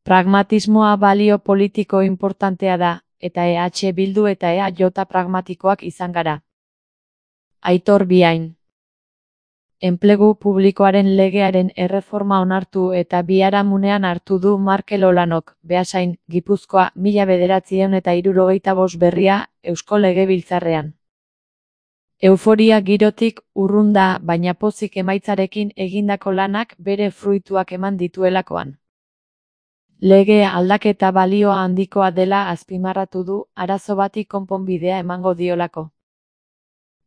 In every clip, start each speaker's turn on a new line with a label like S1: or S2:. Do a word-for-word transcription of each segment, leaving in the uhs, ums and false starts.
S1: Pragmatismoa balio politiko inportantea da, eta E H Bildu eta E A J pragmatikoak izan gara. Aitor Biain. Enplegu publikoaren legearen erreforma onartu eta biharamunean hartu du Markel Olanok, Beasain, Gipuzkoa, mila bederatziehun eta hirurogeita bost berria, Eusko Legebiltzarrean. Euforia girotik urrun da, baina pozik emaitzarekin egindako lanak bere fruituak eman dituelakoan. Lege aldaketa balio handikoa dela azpimarratu du, arazo bati konponbidea emango diolako.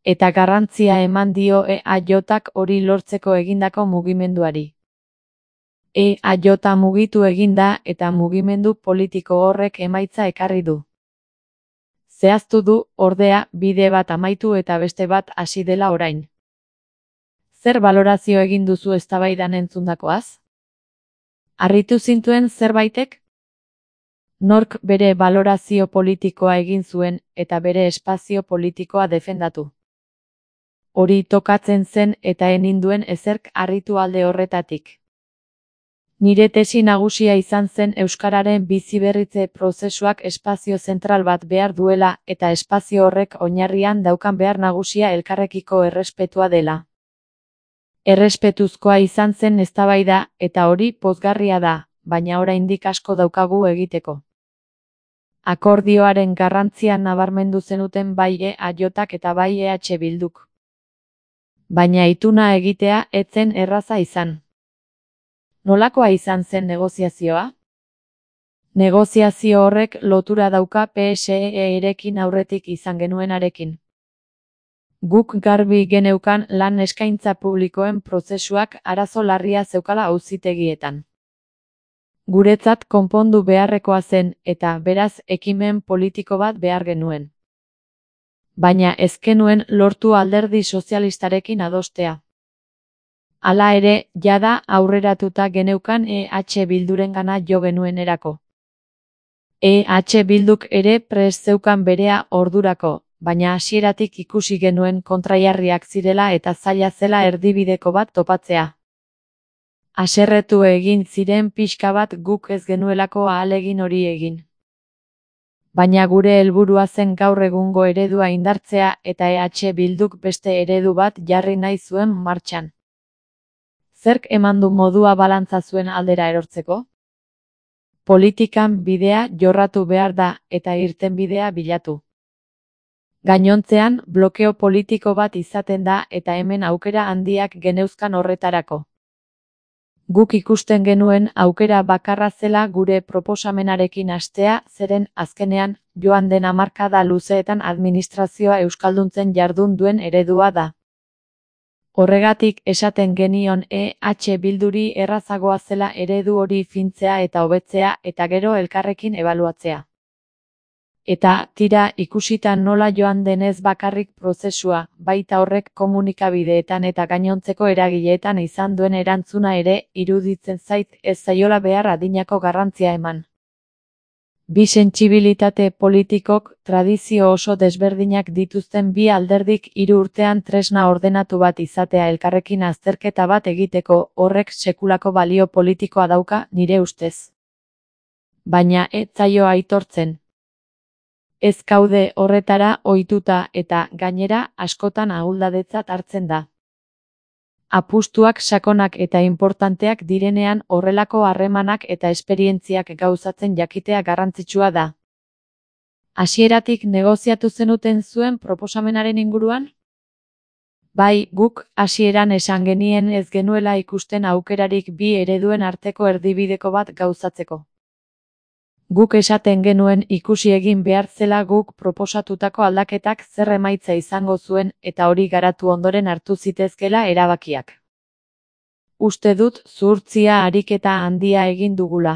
S1: Eta garrantzia eman dio E A Jak hori lortzeko egindako mugimenduari. E A J mugitu eginda eta mugimendu politiko horrek emaitza ekarri du. Zehaztu du, ordea, bide bat amaitu eta beste bat hasi dela orain. Zer balorazio egin duzu eztabaidan entzundakoaz? Harritu zintuen zerbaitek? Nork bere balorazio politikoa egin zuen eta bere espazio politikoa defendatu. Hori tokatzen zen eta eninduen ezerk harritu alde horretatik. Nire tesi nagusia izan zen euskararen biziberritze prozesuak espazio zentral bat behar duela eta espazio horrek oinarrian daukan behar nagusia elkarrekiko errespetua dela. Errespetuzkoa izan zen eztabaida eta hori pozgarria da, baina oraindik asko daukagu egiteko. Akordioaren garrantzia nabarmendu zenuten bai E A Jak eta bai E H Bilduk. Baina ituna egitea ez zen erraza izan. Nolakoa izan zen negoziazioa? Negoziazio horrek lotura dauka P S E-erekin aurretik izan genuenarekin. Guk garbi geneukan lan eskaintza publikoen prozesuak arazo larria zeukala auzitegietan. Guretzat konpondu beharrekoa zen eta beraz ekimen politiko bat behar genuen. Baina ez genuen lortu alderdi sozialistarekin adostea. Hala ere, jada aurreratuta geneukan E H Bildurengana jo genuenerako. E H Bilduk ere prest zeukan berea ordurako, baina hasieratik ikusi genuen kontrajarriak zirela eta zaila zela erdibideko bat topatzea. Haserretu egin ziren pixka bat guk ez genuelako ahalegin hori egin. Baina gure helburua zen gaur egungo eredua indartzea eta E H Bilduk beste eredu bat jarri nahi zuen martxan. Zerk eman du modua balantza zuen aldera erortzeko? Politikan bidea jorratu behar da eta irtenbidea bilatu. Gainontzean, blokeo politiko bat izaten da eta hemen aukera handiak geneuzkan horretarako. Guk ikusten genuen aukera bakarra zela gure proposamenarekin hastea, zeren azkenean, joan den hamarkada luzeetan administrazioa euskalduntzen jardun duen eredua da. Horregatik esaten genion E H Bilduri errazagoa zela eredu hori fintzea eta hobetzea eta gero elkarrekin ebaluatzea. Eta, tira, ikusita nola joan denez bakarrik prozesua, baita horrek komunikabideetan eta gainontzeko eragileetan izan duen erantzuna ere, iruditzen zait ez zaiola behar adinako garrantzia eman. Bi sentsibilitate politikok, tradizio oso desberdinak dituzten bi alderdik hiru urtean tresna ordenatu bat izatea elkarrekin azterketa bat egiteko, horrek sekulako balio politikoa dauka, nire ustez. Baina ez zaio aitortzen. Ez gaude horretara ohituta eta, gainera, askotan ahuldadetzat hartzen da. Apustuak sakonak eta inportanteak direnean horrelako harremanak eta esperientziak gauzatzen jakitea garrantzitsua da. Hasieratik negoziatu zenuten zuen proposamenaren inguruan? Bai, guk hasieran esan genien ez genuela ikusten aukerarik bi ereduen arteko erdibideko bat gauzatzeko. Guk esaten genuen ikusi egin behar zela guk proposatutako aldaketak zer emaitza izango zuen eta hori garatu ondoren hartu zitezkela erabakiak. Uste dut zuhurtzia ariketa handia egin dugula.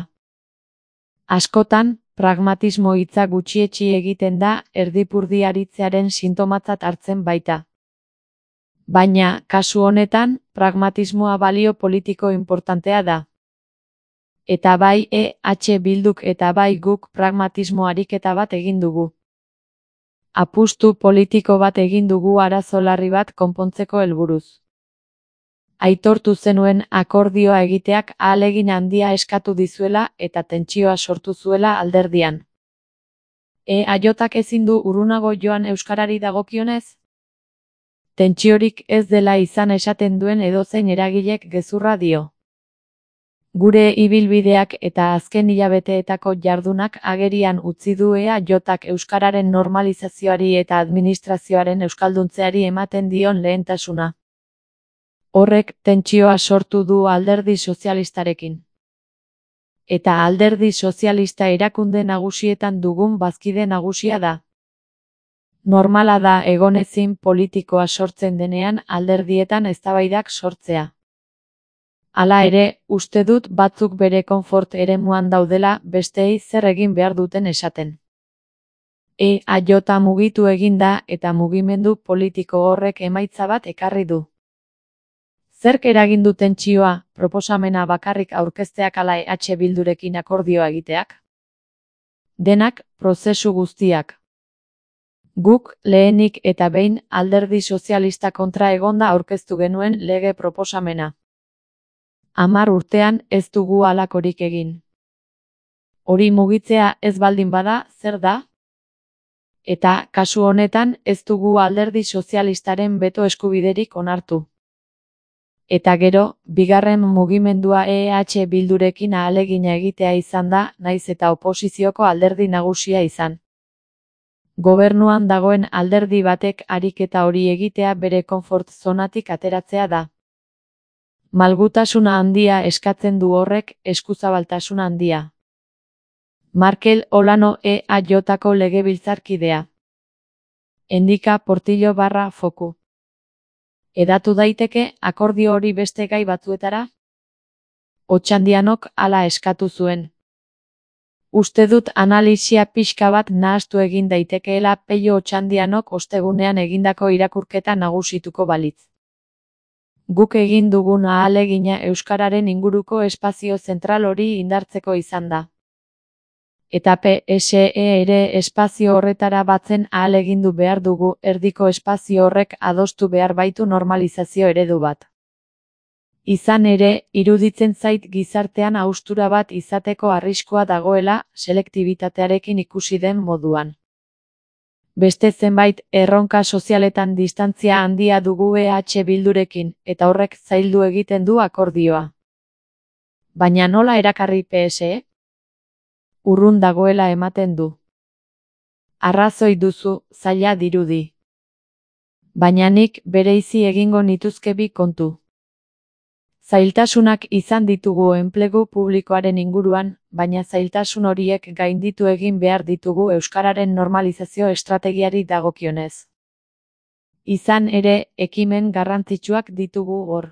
S1: Askotan, pragmatismo hitza gutxietsi egiten da erdipurdi aritzearen sintomatzat hartzen baita. Baina, kasu honetan, pragmatismoa balio politiko inportantea da. Eta bai E H Bilduk eta bai guk pragmatismo ariketa bat egin dugu. Apustu politiko bat egin dugu arazo larri bat konpontzeko helburuz. Aitortu zenuen akordioa egiteak ahalegin handia eskatu dizuela eta tentsioa sortu zuela alderdian. E A Jk ezin du urrunago joan euskarari dagokionez? Tentsiorik ez dela izan esaten duen edozein eragilek gezurra dio. Gure ibilbideak eta azken hilabeteetako jardunak agerian utzi du E A Jk euskararen normalizazioari eta administrazioaren euskalduntzeari ematen dion lehentasuna. Horrek tentsioa sortu du alderdi sozialistarekin. Eta alderdi sozialista erakunde nagusietan dugun bazkide nagusia da. Normala da egonezin politikoa sortzen denean alderdietan eztabaidak sortzea. Hala ere, uste dut batzuk bere konfort eremuan daudela besteei zer egin behar duten esaten. E A J mugitu egin da eta mugimendu politiko horrek emaitza bat ekarri du. Zerk eragin du tentsioa, proposamena bakarrik aurkezteak ala E H Bildurekin akordioa egiteak? Denak, prozesu guztiak. Guk, lehenik eta behin, alderdi sozialista kontra egonda aurkeztu genuen lege proposamena. Hamar urtean ez dugu halakorik egin. Hori mugitzea ez baldin bada, zer da? Eta, kasu honetan, ez dugu alderdi sozialistaren beto eskubiderik onartu. Eta gero, bigarren mugimendua E H Bildurekin ahalegina egitea izan da, naiz eta oposizioko alderdi nagusia izan. Gobernuan dagoen alderdi batek ariketa hori egitea bere konfort zonatik ateratzea da. Malgutasuna handia eskatzen du horrek, eskuzabaltasuna handia. Markel Olano E A Jko legebiltzarkidea. Endika Portillo barra foku. Edatu daiteke akordio hori beste gai batzuetara? Otxandianok hala eskatu zuen. Uste dut analisia pixka bat nahastu egin daitekeela Pello Otxandianok ostegunean egindako irakurketa nagusituko balitz. Guk egin dugun ahalegina euskararen inguruko espazio zentral hori indartzeko izan da. Eta P S E ere espazio horretara batzen ahalegindu behar dugu, erdiko espazio horrek adostu behar baitu normalizazio eredu bat. Izan ere, iruditzen zait gizartean haustura bat izateko arriskua dagoela, selektibitatearekin ikusi den moduan. Beste zenbait erronka sozialetan distantzia handia dugu E H Bildurekin, eta horrek zaildu egiten du akordioa. Baina nola erakarri P S E? Urrun dagoela ematen du. Arrazoi duzu, zaila dirudi. Baina nik bereizi egingo nituzke bi kontu. Zailtasunak izan ditugu enplegu publikoaren inguruan, baina zailtasun horiek gainditu egin behar ditugu euskararen normalizazio estrategiari dagokionez. Izan ere, ekimen garrantzitsuak ditugu hor.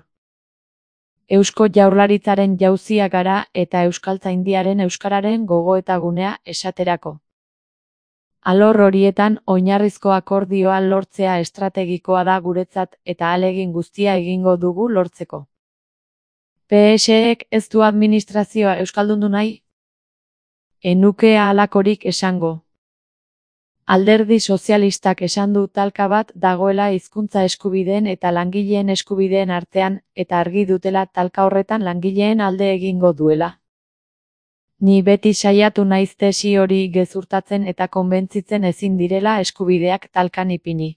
S1: Eusko Jaurlaritzaren jauzia gara eta Euskaltzaindiaren euskararen gogoetagunea esaterako. Alor horietan oinarrizko akordioa lortzea estrategikoa da guretzat eta ahalegin guztia egingo dugu lortzeko. P S Ek ez du administrazioa euskaldundu nahi? Enuke halakorik esango. Alderdi sozialistak esan du talka bat dagoela hizkuntza eskubideen eta langileen eskubideen artean, eta argi dutela talka horretan langileen alde egingo duela. Ni beti saiatu naiz tesi hori gezurtatzen eta konbentzitzen ezin direla eskubideak talkan ipini.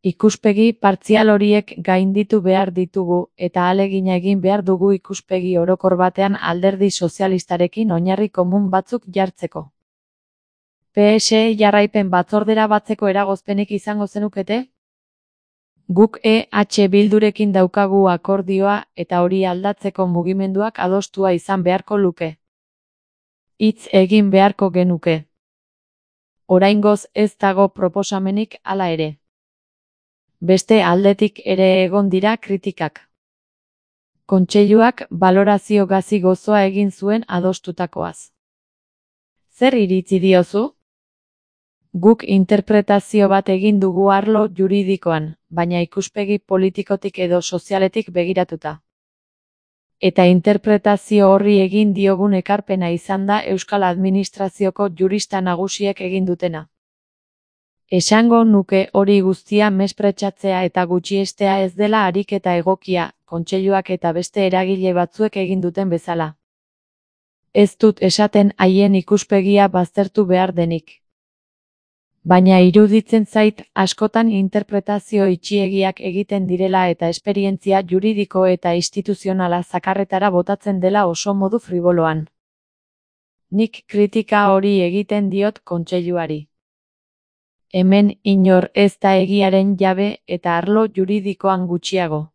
S1: Ikuspegi partzial horiek gainditu behar ditugu eta ahalegina egin behar dugu ikuspegi orokor batean alderdi sozialistarekin oinarri komun batzuk jartzeko. P S E jarraipen batzordera batzeko eragozpenik izango zenukete? Guk E H Bildurekin daukagu akordioa eta hori aldatzeko mugimenduak adostua izan beharko luke. Hitz egin beharko genuke. Oraingoz ez dago proposamenik hala ere. Beste aldetik ere egon dira kritikak. Kontseiluak balorazio gazi gozoa egin zuen adostutakoaz. Zer iritzi diozu? Guk interpretazio bat egin dugu arlo juridikoan, baina ikuspegi politikotik edo sozialetik begiratuta. Eta interpretazio horri egin diogun ekarpena izan da Euskal Administrazioko jurista nagusiek egin dutena. Esango nuke hori guztia mespretxatzea eta gutxiestea ez dela ariketa egokia, kontseiluak eta beste eragile batzuek egin duten bezala. Ez dut esaten haien ikuspegia baztertu behar denik. Baina iruditzen zait askotan interpretazio itxiegiak egiten direla eta esperientzia juridiko eta instituzionala zakarretara botatzen dela oso modu friboloan. Nik kritika hori egiten diot kontseiluari. Hemen inor ez da egiaren jabe eta arlo juridikoan gutxiago.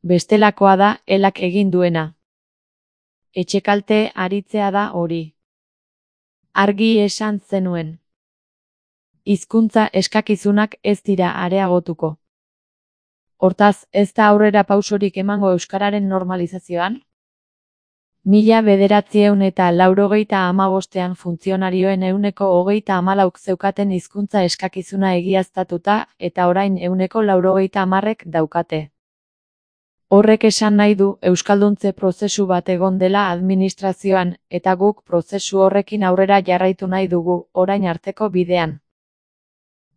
S1: Bestelakoa da elak egin duena. Etxekalte aritzea da hori. Argi esan zenuen. Hizkuntza eskakizunak ez dira areagotuko. Hortaz, ez da aurrera pausorik emango euskararen normalizazioan? Mila bederatziehun eta laurogeita hamabostean funtzionarioen ehuneko hogeita hamalauk zeukaten hizkuntza eskakizuna egiaztatuta eta orain ehuneko laurogeita hamarrek daukate. Horrek esan nahi du euskalduntze prozesu bat egon dela administrazioan eta guk prozesu horrekin aurrera jarraitu nahi dugu orain arteko bidean.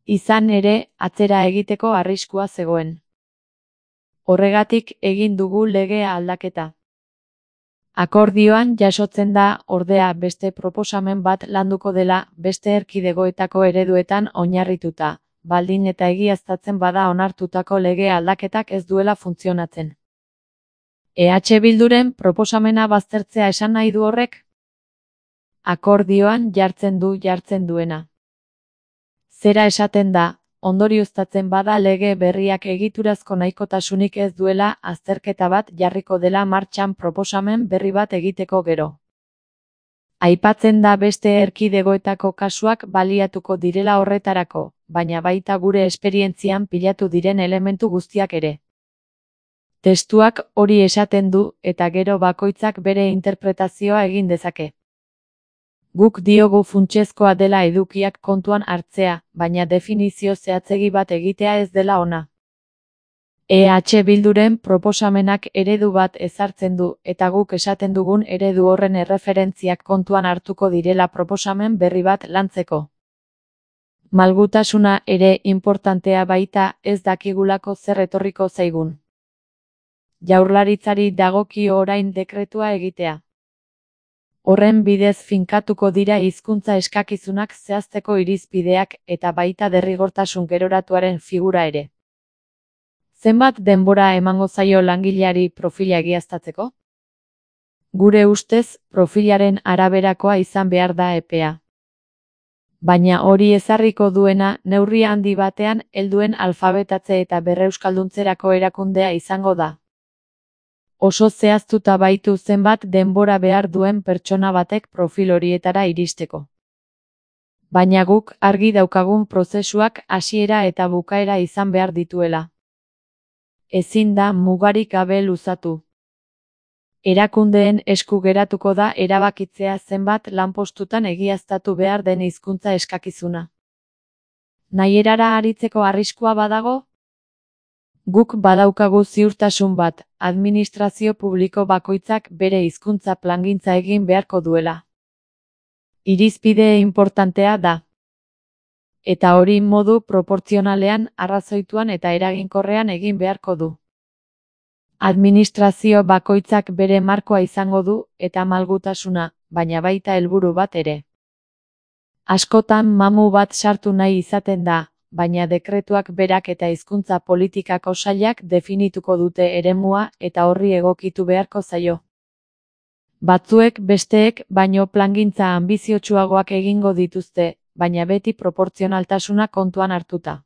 S1: Izan ere, atzera egiteko arriskua zegoen. Horregatik egin dugu legea aldaketa. Akordioan jasotzen da, ordea, beste proposamen bat landuko dela, beste erkidegoetako ereduetan oinarrituta, baldin eta egiaztatzen bada onartutako lege aldaketak ez duela funtzionatzen. E H Bilduren proposamena baztertzea esan nahi du horrek? Akordioan jartzen du jartzen duena. Zera esaten da, ondorioztatzen bada lege berriak egiturazko nahikotasunik ez duela azterketa bat jarriko dela martxan proposamen berri bat egiteko gero. Aipatzen da beste erkidegoetako kasuak baliatuko direla horretarako, baina baita gure esperientzian pilatu diren elementu guztiak ere. Testuak hori esaten du eta gero bakoitzak bere interpretazioa egin dezake. Guk diogu funtsezkoa dela edukiak kontuan hartzea, baina definizio zehatzegi bat egitea ez dela ona. E H Bilduren proposamenak eredu bat ezartzen du eta guk esaten dugun eredu horren erreferentziak kontuan hartuko direla proposamen berri bat lantzeko. Malgutasuna ere inportantea baita ez dakigulako zer etorriko zaigun. Jaurlaritzari dagokio orain dekretua egitea. Horren bidez finkatuko dira hizkuntza eskakizunak zehazteko irizpideak eta baita derrigortasun geroratuaren figura ere. Zenbat denbora emango zaio langileari profila egiaztatzeko? Gure ustez, profilaren araberakoa izan behar da epea. Baina hori ezarriko duena neurri handi batean helduen alfabetatze eta berreuskalduntzerako erakundea izango da. Oso zehaztuta baitu zenbat denbora behar duen pertsona batek profil horietara iristeko. Baina guk argi daukagun prozesuak hasiera eta bukaera izan behar dituela. Ezin da mugarik gabe luzatu. Erakundeen esku geratuko da erabakitzea zenbat lanpostutan egiaztatu behar den hizkuntza eskakizuna. Nahierara aritzeko arriskua badago? Guk badaukagu ziurtasun bat, administrazio publiko bakoitzak bere hizkuntza plangintza egin beharko duela. Irizpide inportantea da. Eta hori modu proportzionalean, arrazoituan eta eraginkorrean egin beharko du. Administrazio bakoitzak bere markoa izango du eta malgutasuna, baina baita helburu bat ere. Askotan mamu bat sartu nahi izaten da, baina dekretuak berak eta hizkuntza politikako sailak definituko dute eremua eta horri egokitu beharko zaio. Batzuek besteek baino plangintza anbiziotsuagoak egingo dituzte, baina beti proportzionaltasuna kontuan hartuta.